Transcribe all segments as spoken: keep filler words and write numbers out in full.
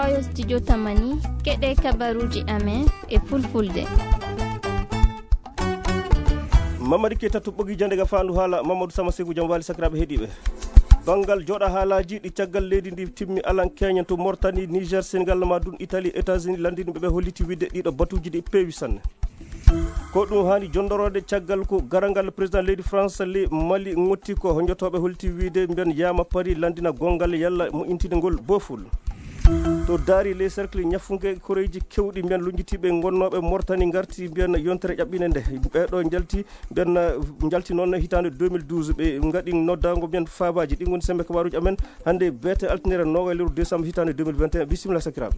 Ayo studio Tamani, keɗe kabaruji amen e fulfulde. Mamadi Keita to ɓogi jande ga fandu hala Mamadou Sama Sekou jam wali sakiraɓe heɗiɓe. Bangal joɗa halaji ɗi caggal leydi ndi timmi alan Kenya to Mortani, Niger, Senegal, ma ɗum Italie, États-Unis landini ɓe ɓe holliti wide ɗiɗo batuji ɗi pewi sanne. Ko ɗum hani jondorode caggal ko garangal président leydi France li Mali ŋotti ko honjotoɓe holti wiide mbiyan yama Paris landina gongal yalla mo intinegol boful. To daari les cercles ñafunge koreji kewɗi mbiyan lunjitiɓe gonnoɓe Mortani garti mbiyan yontere ƴaɓɓine nde ɓeɗo jalti mbiyan jalti noon hitande deux mille douze ɓe gaɗi noddago mbiyan fabaji ɗi goni sembe kabaruji amen hande beete altinere noga lewru décembre hitande deux mille vingt et un. Bisimilla sakiraɓe.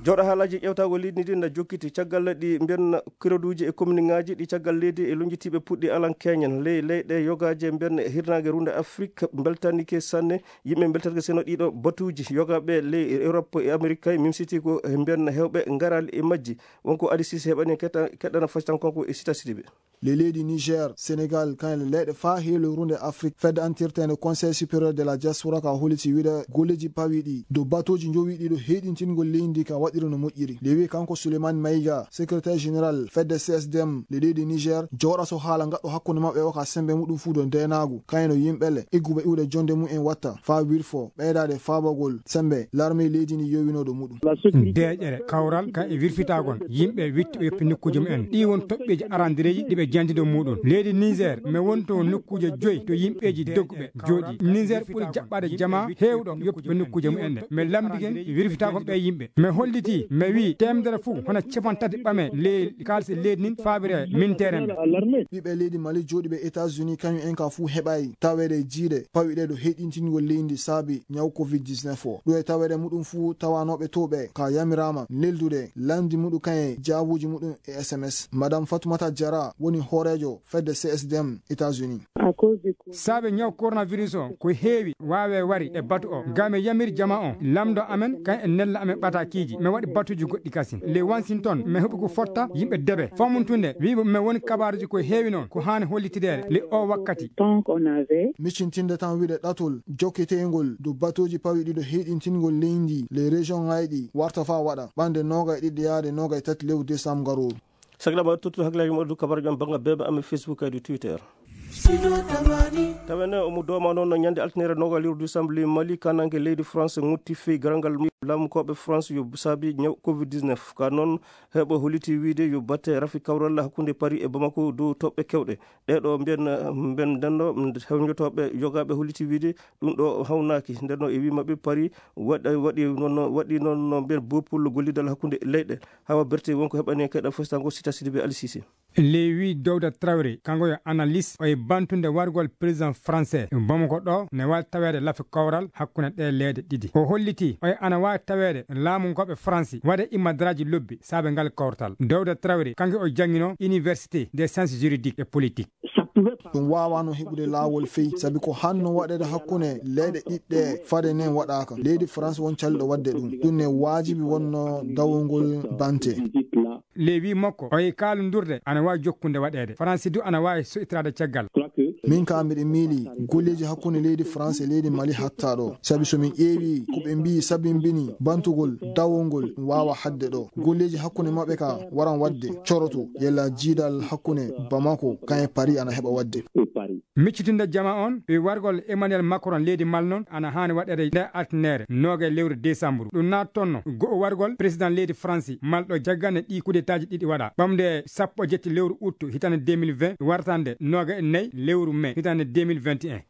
Jooɗo haalaji ƴewtago leydi ndi na jokkiti caggal ɗi mbiyan kiroduji e commune ngaji ɗi caggal leydi e lonjitiɓe puɗɗi alan keñen ley leyɗe yogaje mbiyan hirnage runde Afrique beltanike sanne. Yimɓe beltanike seno ɗiɗo batuji yogaɓe ley Europe e Amérique kay mimsiti ko mbiyan hewɓe garali e majji. Wonko Adi Sise heɓani keɗɗana fasitan konko e Sita Sidibe. Le leydi Niger, Senegal, kan le leyɗe fa heelo runde Afrique, fedde antirtende Conseil supérieur de la diaspora ka holiti wiide golleji pawiɗi dow batoji jowiɗi ɗo heɗintingol leydi ka waɗiri no moƴƴiri. Le wi kanko Suleiman Maiga, secrétaire général fedde C S D M le leydi Niger, joɗa so haala gaɗɗo hakkunde maɓɓe o ka sembe muɗum fu dow ndenagu, kayno yimɓe le igguɓe iwde jonde mum en watta fa wirfo ɓeydade fabagol sembe larme leydi ndi yowinoɗo muɗum. Deeƴere kawral ka e wirfitagon yimɓe witti o yoppi nokkuji mumen. Ɗi won toɓɓeji arandireji ɗi ɓe jantido muɗum. Leydi Niger, mi wonto won nokkuji joyi to yimɓeji dogguɓe jooɗi. Niger ɓuri jaɓɓade jama hewɗo yoppi nokkuji mumen ɗe. Mi lamdi ken wirfitagon ɓe yimɓe. Mi holliti, mi wi temedere fu hono capantati ɓame le kalse leydi nin fabire min teremɓe. Ɓiɓɓe leydi Mali jooɗiɓe États-Unis kañum en ka fu heɓayi tawede jiiɗe pawiɗe ɗo heɗintingol leydi saabi ñaw covid dix-neuf o. Ɗo e tawede muɗum fu tawanoɓe to ɓe ka yamirama neldude landi muɗum kaye jaabuji muɗum e S M S. Madame Fatoumata Diarra woni hoorejo fedde C S D M États-Unis. Saabe ñaw coronavirus o ko heewi waawe wari e batu o. Ga mi yamiri jama o lamdo amen kan e nella amen ɓatakiiji. Mi waɗi batuji goɗɗi kasin. Le Washington mi heɓi ko fotta yimɓe debe famuntunde wiɓe mi woni kabaruji ko heewi noon ko haani hollitideede le o wakkati. Micintinde tan wiɗe ɗatol jokkiteyngol dow batuji pawi ɗiɗo heɗintingol leydi le région ngayɗi warta fa waɗa ɓande nogay ɗiɗi yaade nogay tati lewru décembre garooru. Sakiraɓe tottu hakkillaji moɗo kabaruji on bannga bebe amen Facebook kadi Twitter. Tawene omo dooma noon no ñande altinere noga lewru décembre li Mali kananke leydi France ŋutti fey garangal laamukoɓe France yo saabi ñaw covid dix-neuf ka noon heɓo holiti wiide yo batte rafi kawral hakkunde Paris e Bamako dow toɓɓe kewɗe. Ɗeɗo mbiyan mbiyan ndenno hewjotoɓe yogaɓe holiti wiide ɗum ɗo hawnaki ndenno e wi maɓɓe Paris waɗa waɗi noon waɗi noon no mbiyan bopul gollidal hakkunde leyɗe. Hawa berte wonko heɓani keɗa fostango Sita Sidibe Ali Sise. Lewi Dowda Traoré kanko yo analyste o e bantunde wargol président français Bamako ɗo ne wawi taweede lafi kowral hakkunde ɗe leede ɗiɗi. O holliti o e ana wawi taweede laamu ngoɓe France waɗa immadraji lobbi saabe ngal kowrtal. Dowda Traoré kanko o jangino université des sciences juridiques et politiques. Ɗum waawano heɓude laawol fey sabi ko hanno waɗeede hakkunde leyɗe ɗiɗɗe fade nden waɗaaka. Leydi France won calliɗo waɗde ɗum. Ɗum ne waajibi wonno dawongol bante. Lewi makko o e kaalundurde ana waawi jokkunde waɗeede. France du ana waawi so'itiraade caggal. Min ka miɗo miili golleeji hakkunde leydi France e leydi Mali hatta ɗo. Sabi so min ƴeewi ko ɓe mbiyi sabimbini bantugol dawongol ɗum waawa haɗde ɗo. Golleeji hakkunde maɓɓe ka waran waɗde coroto yella jiidal hakkunde Bamako kan e Paris ana heɓa waɗde. Miccitinde jama on e wargol Emmanuel Macron leydi Mal non ana haani waɗeede nde altinere noga e lewru décembre. Ɗum naattonno go'o wargol président leydi France Mal ɗo jaggane ɗi kudetaaji ɗiɗi waɗa ɓamde sappo e jetti lewru août hitande deux mille vingt wartande noga e nayi lewru mai hitande deux mille vingt et un.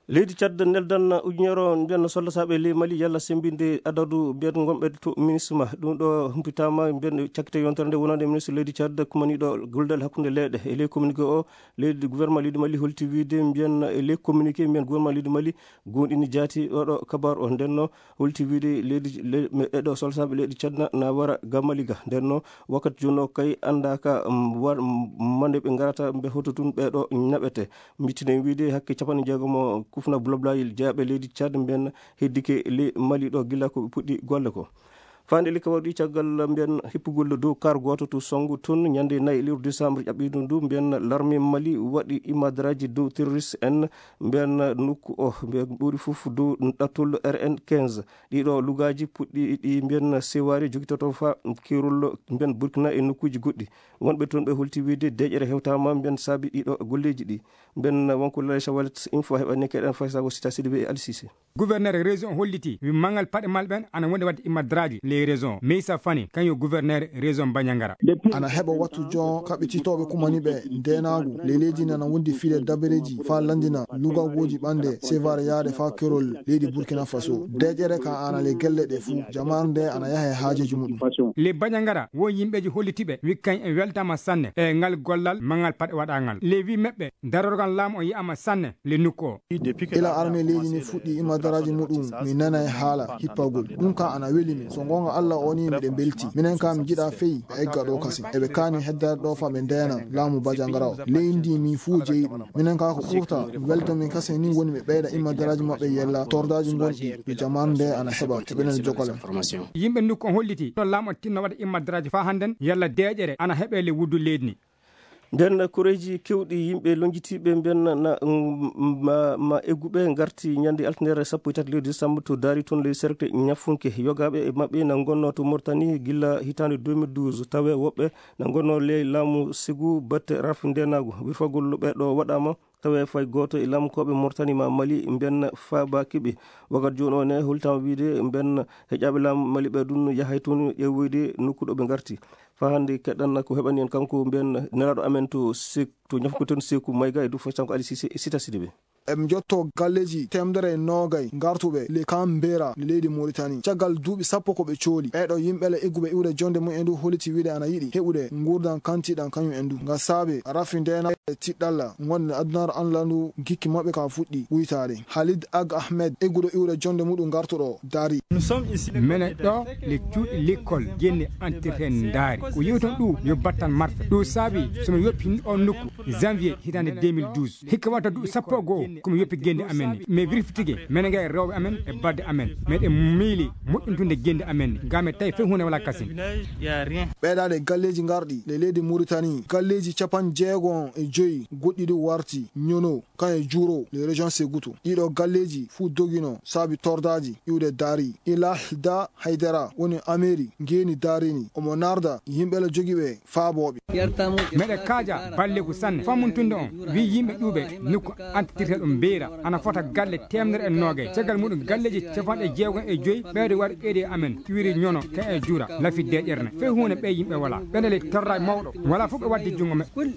Leydi Tchad neldan ujunere o mbiyan soldataaɓe ley Mali yalla semmbinde adadu mbiyan gonɓe to MINUSMA. Ɗum ɗo humpitaama mbiyan cakkite yontere nde wonande ministre leydi Tchad kumaniiɗo gollidal hakkunde leyɗe. E ley communiqué o, leydi gouvernement leydi Mali holti wiide mbiyan e ley communiqué mbiyan gouvernement leydi Mali goonɗini jaati oɗo kabaar o. Ndenno holti wiide leydi le-, me-, ɗeɗo soldataaɓe leydi Tchad na, na wara ga Mali ga. Ndenno wakkati jooni o kay anndaaka, mm, war-, mm, mande ɓe ngarata mbe hoto tun ɓeɗo naɓete. Miccinen wiide hakke capanɗe jeegom kufna bulabulaji jeyaɓe leydi Tchad mbiyan heddike ley Mali ɗo gila ko ɓe puɗɗi golle ko. Faande likka waɗi caggal mbiyen hippugol dow kar gooto to Songu tun ñande nayi lewru décembre ƴaɓɓiiɗo ndu, mbiyen larme Mali waɗi imadraji dow terroriste en mbiyen nokku o, mbiyen ɓuri fof dow ɗattol R N quinze. Ɗiɗo lugaaji puɗɗi ɗi mbiyen sewaare jogitoto fa keerol mbiyen Burkina e nokkuuji goɗɗi. Wonɓe toon ɓe holti wiide deeƴere hewtaama mbiyen saabi ɗiɗo golleeji ɗi. Mbiyen wonko Laysha Wallet Info heɓani keɗen faysago Sita Sidibé e Ali Cissé. Gouverneur région holliti wi mangal paɗe mal ɓen ana woni wadde imadraji les régions. Meysa Fani, kañum gouverneur région Bandiagara. Ana heɓa wattu jon kaɓɓititooɓe kumani ɓe ndeenaagu ley leydi ndi ana wondi file dabareeji faa lanndina lugagooji ɓannde sevare yaade faa kerol leydi Burkina Faso. Deeƴere ka ana le gelle ɗe fuu, jamaare nde ana yaha e haajeeji muɗum. Le Bandiagara wo yimɓeeji hollitiɓe wi kañ en weltaama sanne e ngal gollal mangal paɗe waɗangal. Le wi meɓɓe darorgal laamu o yi'ama sanne le nokku o. Ila arme leydi ndi fuɗɗi imadaraaji muɗum, mi nana e haala hippagol. Ɗum ka ana weli min. So goonga Allah o ni miɗen belti. Minen ka mi jiɗa fey ɓe egga ɗo kasin. Eɓe kaani heddaade ɗo fa ɓe ndeena laamu Bandiagara o. Leydi ndi min fuu jeyi ɗum. Minen ka ko ɓurta welta min kasin ni woni ɓe ɓeyda imadaraaji maɓɓe yella tordaaji gonɗi no jamaanu nde ana heɓa. Heɓenen jokkalen. Yimɓe nokku on holliti to laamu on tinno waɗa imadaraaji faa hannden yalla deeƴere ana heɓe le wuddu leydi ndi. Nden koreeji kewɗi yimɓe lonjitiiɓe mbiyen na, mm, ma, ma egguɓe ngarti ñande altine sappo e tati lewru décembre to Daari toon ley cercle Ñafunke. Yogaaɓe e maɓɓe na ngonnoo to Mauritanie gilla hitaande deux mille douze. Tawe woɓɓe na ngonnoo ley laamu Ségou batte rafi ndeenaagu. Wirfagol ɓe ɗo waɗaama tawe fay gooto e laamukooɓe Mauritanie ma Mali mbiyen faabaaki ɓe. Wagat jooni o ne holtaama wiide mbiyen heƴaaɓe laamu Mali ɓe ɗum yahay toon ƴeewoyde nokku ɗo ɓe ngarti. Faa hannde keɗɗan ko heɓani en kanko mbiyen nelaaɗo amen to Sek-, to Ñafunke toon Seeku Mayga e Dufo Sanko Ali Cissé e Sita Sidibé. Eɓe njotto galleeji teemedere e noogay ngartuɓe le Camp Mbera le leydi Mauritanie. Caggal duuɓi sappo ko ɓe cooli. Ɓeeɗo yimɓe le egguɓe iwde jonde mum en du holliti wiide ana yiɗi heɓude nguurdan kantiɗan kañum en du. Nga saabe rafi ndeena e tiɗɗalla ngonde adunaaru anlandu gikki maɓɓe ka fuɗɗi wuytaade. Halid Ag Ahmed egguɗo iwde jonde muɗum ngartuɗo Daari. Mene ɗo le cuuɗi lekkol genne antirten ndaari. Ko yewton ɗu yo battan marfe. Ɗu saabi so mi yoppi on nokku janvier hitaande deux mille douze. Hikka watta duuɓi sappo e goo ko mi yoppi gende amen ni. Mais vérifitige mene ngay rewɓe amen e badde amen. Meɗen miili moƴƴintunde gende amen ni. Ga me tawi fey huunde wala kasin. Ɓeydaade galleeji ngarɗi le leydi Mauritanie. Galleeji capanɗe jeego e joyi goɗɗi ɗi warti ñono kan e juuro le région Segutu. Ɗiɗo galleeji fuu dogino saabi tordaaji iwde Daari. Ilahda Haydara woni ameeri ngeeni Daari ni. Omo narda yimɓe la jogiiɓe faabooɓe. Meɗe kaaja balleeku sanne. Fammuntunde on, wi yimɓe ƴuuɓe nokku antitirte ɗum Mbeyra. Ana fota galle teemedere e noogay. Caggal muɗum galleeji capanɗe jeegom e joyi ɓeyde waɗ ɓeyde amen. Cuwiri ñono, ka e juura, lafi deeƴere ne. Fey huunde ɓe yimɓe wala. Ɓe neli torraay mawɗo. Wala fof ɓe waddi junngo maɓɓe.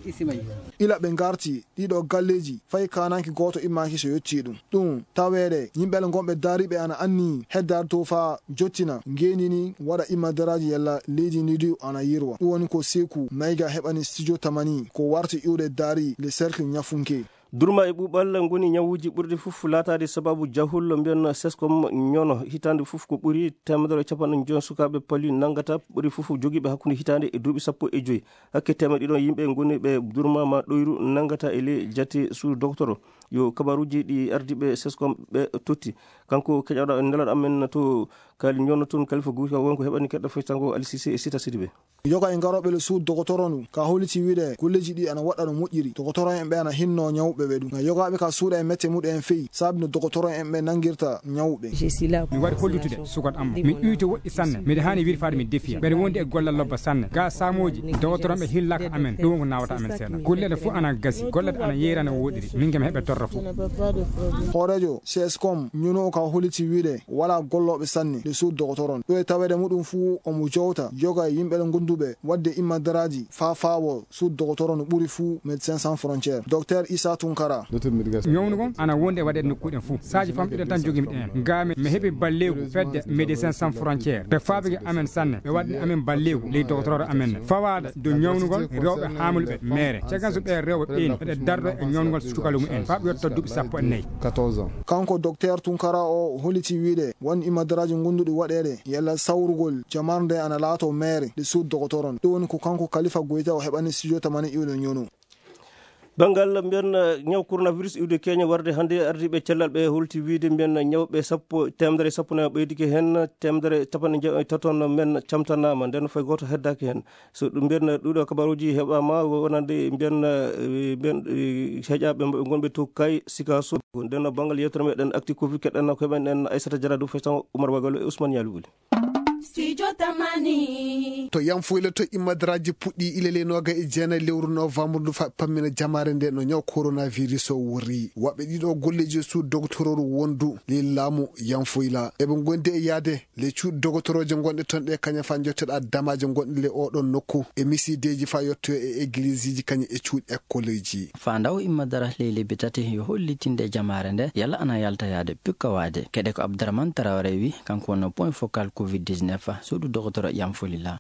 Ila ɓe ngarti ɗiɗo galleeji, fay kaananke gooto immaaki so yottii ɗum. Ɗum taweede, yimɓe le ngonɓe daariiɓe ana anni heddaade to faa jottina, ngeendi ni waɗa immadaraaji yalla leydi ndi du ana yirwa. Ɗum woni ko Seeku Mayga heɓani Studio Tamani, ko warti iwde Daari le cercle Ñafunke. Durma e ɓuuɓal ngoni ñawuuji ɓurɗi fof laataade sababu jahol mbiyen seskom ñono. Hitaande fof ko ɓuri teemedere e capanɗe joy sukaaɓe palu nanngata, ɓuri fof jogiiɓe hakkunde hitaande e duuɓi sappo e joy. Hakke teemedde ɗiɗo yimɓe ngoni ɓe durma ma ɗoyru nanngata e ley jate sous docteur. Yo kabaruuji ɗi ardiiɓe seskom ɓe totti. Kanko keƴaɗo nelaaɗo amen to Kali Njono toon Kalifa Guy, wonko heɓani keɗɗo feccango Ali Cissé e Sita Sidibé. Yoga e ngarooɓe le sous docteur on ka holliti wiide golleeji ɗi ana waɗa no moƴƴiri. Docteur en ɓe ana hinno ñawɓe ɓe ɗum. Yogaaɓe ka suuɗa e mette muɗum en feyi, saabi no docteur en ɓe nanngirta ñawɓe. Mi waɗi hollutude sukat am. Mi iwti woɗɗi sanne. Miɗa haani wirfaade mi defiya. Mbeɗa wondi e gollal lobba sanne. Ga saamooji, docteur en ɓe hillaka amen. Ɗum wonko nawata amen seeɗa. Golleɗe fof ana gasi. Golleɗe ana yeyrani o woɗɗiri. Min kam heɓe torra fof. Hooreejo C S com ñuno ka holliti wiide wala gollooɓe sanne le sous docteur on. Ɗo e taweede muɗum fuu omo jowta yoga e yimɓe le gonduɓe waɗde immadaraaji faa faawo sous docteur no ɓuri fuu Médecins Sans Frontières. Docteur Issa Tunkara. Ñawnugol ana wondi e waɗeede nokkuuɗen fof. Saaji famɗuɗen tan jogiimi ɗen. Ngaami mi heɓi balleeku fedde Médecins Sans Frontières. Ɓe faabike amen sanne. Ɓe waɗni amen balleeku ley docteur amen. Fawaade dow ñawnugol rewɓe haamluɓe meere. Caggal so ɓe rewɓe ɓeeni, eɓe dardo e ñawnugol sukalu mumen. Faa ɓe yotto duuɓi sappo e nayi. Kanko docteur Tunkara o holliti wiide won imadaraaji gonduɗi waɗeede yalla sawrugol jamaare nde ana laato meere de sous docteur on. Ɗum woni ko kanko Kalifa Goyta o heɓani studio tamani iwɗo ñono. Banngal mbiyen, eh, ñaw coronavirus iwde Kenya warde hannde, ardiiɓe cellal ɓe holti wiyde mbiyen ñawɓe sappo, teemedere sappo nayi ɓeydike heen, teemedere capanɗe jeeɗom e tato men camtanaama, nden fay gooto heddaaki heen. So ɗum mbiyen, eh, ɗuuɗo kabaruuji heɓaama wonande mbiyen, eh, mbiyen, eh, heƴaaɓe ɓe ngonɓe to Kay, Sikaso. Nden no banngal yewtere meɗen Actu Covid keɗen ko heɓen en Aissata Diarra Diouf, Faisal Oumar Bagalo e Ousmane Yali Wuli. Studio Tamani. To Yanfoyla to Immadaraaji puɗɗi ilele nooga e jeenayi lewru novembre ndu fa pammina jamaare nde no ñaw coronavirus o wori. Waɓɓe ɗiɗo golleeji e suudu dogotororu wondu ley laamu Yanfoyla. Eɓe ngondi e yaade le cuuɗi dogotoroje gonɗe ton ɗe kaña fa jotteɗa damaje gonɗe le oɗon nokku e misideeji fa yottoyo e eglisiiji kaña e cuuɗi ekkoleeji. Fa ndaw Immadara ley lebbi tati yo hollitinde jamaare nde yalla ana yalta yaade pikka waade. Kede ko Abdourahmane Traoré wi, kanko wonno point focal covid dix-neuf, suudu dogotoro Yanfolila.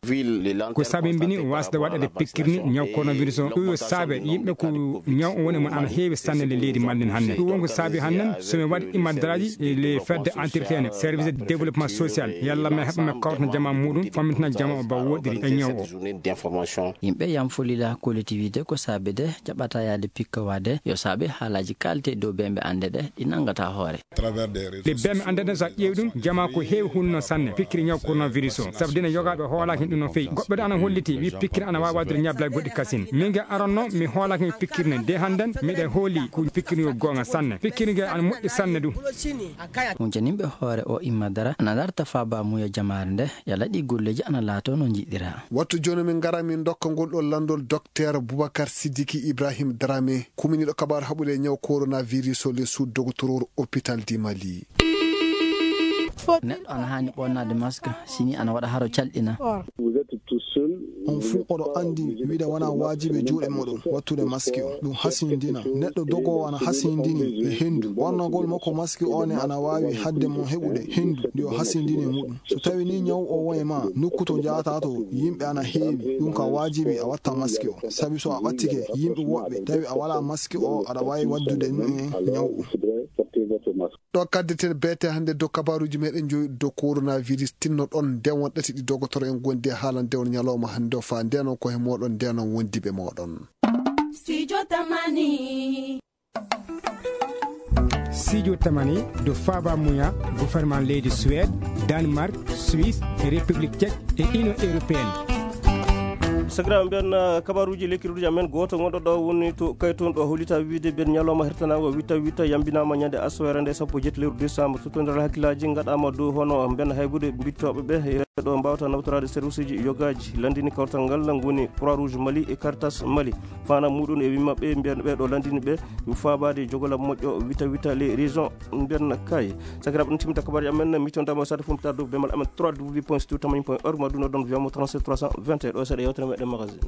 Ko sabimbini wasde waɗade pikkirni ñaw coronavirus o. Ɗum yo saabe yimɓe ko ñaw o woni mon ana heewi sanne le leydi mallen hanne. Ɗum won ko saabi hanne so mi waɗi Immadaraaji e le fedde entretien, service de développement social, yalla mi heɓa mi kawtana jama muɗum, fammitina jama o ba woɗɗiri e ñaw o. Yimɓe Yanfolila collectivité ko saabe de jaɓata yaade pikka waade yo saabe haalaaji kaalte dow ɓe ɓe annde ɗe ɗi nanngata hoore. Ɗe bee mi annda ɗen, so a ƴeewi ɗum, jamaa ko heewi hunno sanne pikkiri ñaw coronavirus o. Sabu dina yogaaɓe hoolaaki ɗum no feewi. Goɗɗo de ana holliti, wi pikkiri ana waawi waɗde ñablal goɗɗi kasin. Min ge aranno, mi hoolaaki mi pikkiri ne. De hannden, miɗe hooli ko pikkiri yo goonga sanne. Pikkiri ge ana moƴƴi sanne ɗum. Huncaninɓe hoore o Immadara ana darta faaba muya jamaare nde, yalla ɗi golleeji ana laato no njiɗira. Wattu jooni min ngara min ndokka ngol ɗo lanndol Docteur Boubacar Sidiki Ibrahim Dramé, kuminiiɗo kabaar haɓude e ñaw coronavirus o le sous docteur hôpital du Mali. Neɗɗo ana haani ɓonnaade mask, sini ana waɗa haro calɗina. On fuu oɗo anndi wiide wonaa waajibi juuɗe muɗum wattude maski o. Ɗum hasindina. Neɗɗo dogoowo ana hasindini e henndu. Ɓornagol makko maski o ne ana waawi hadde mo heɓude henndu ndi o hasindini e muɗum. So tawi ni ñaw o won e ma, nokku to njahata to yimɓe ana heewi, ɗum ka waajibi a watta maski o. Sabi so a ɓattike yimɓe woɓɓe, tawi a wala maski o, aɗa waawi waddude ɗum e ñaw o. Ɗo kaddeten beete hannde dow kabaruuji meɗen joyi dow coronavirus. Tinno ɗon nde won ɗati ɗi dogotoro en gondi e haalande on ñalawma hannde o, fa nden on ko he moɗon nden on wondiɓe moɗon. Studio Tamani. Studio Tamani do faaba muya gouvernement leydi Suède, Danemark, Suisse, e République Tchèque e Union Européenne. Sakiraaɓe mbiyen, uh, kabaruuji lekkiruuji amen, gooto gonɗo ɗo woni to Kayton ɗo hollita wiide mbiyen ñalawma hertanaango witta witta yambinaama ñande aswere nde sappo jeetati lewru décembre. Suttondiral hakkillaaji ngaɗaama dow hono mbiyen haybude mbittooɓe ɓe e ɗo mbaawata nawtoraade service uji yogaaji. Lanndini kawtal ngal ngoni Croix Rouge Mali e Caritas Mali. Faandaare muɗum e wii maɓɓe mbiyen ɓe ɗo lanndini ɓe faabaade jogolal moƴƴo wita wita les régions mbiyen kay. Sakiraaɓe, ɗum timmita kabaruuji amen, mi tonndama sade fof mi tardu bemal amen trois W point studio tamani point org ma ɗum ɗon viyamo trente-sept trois cent vingt et un ɗo seeɗa yewtere meɗen magazine.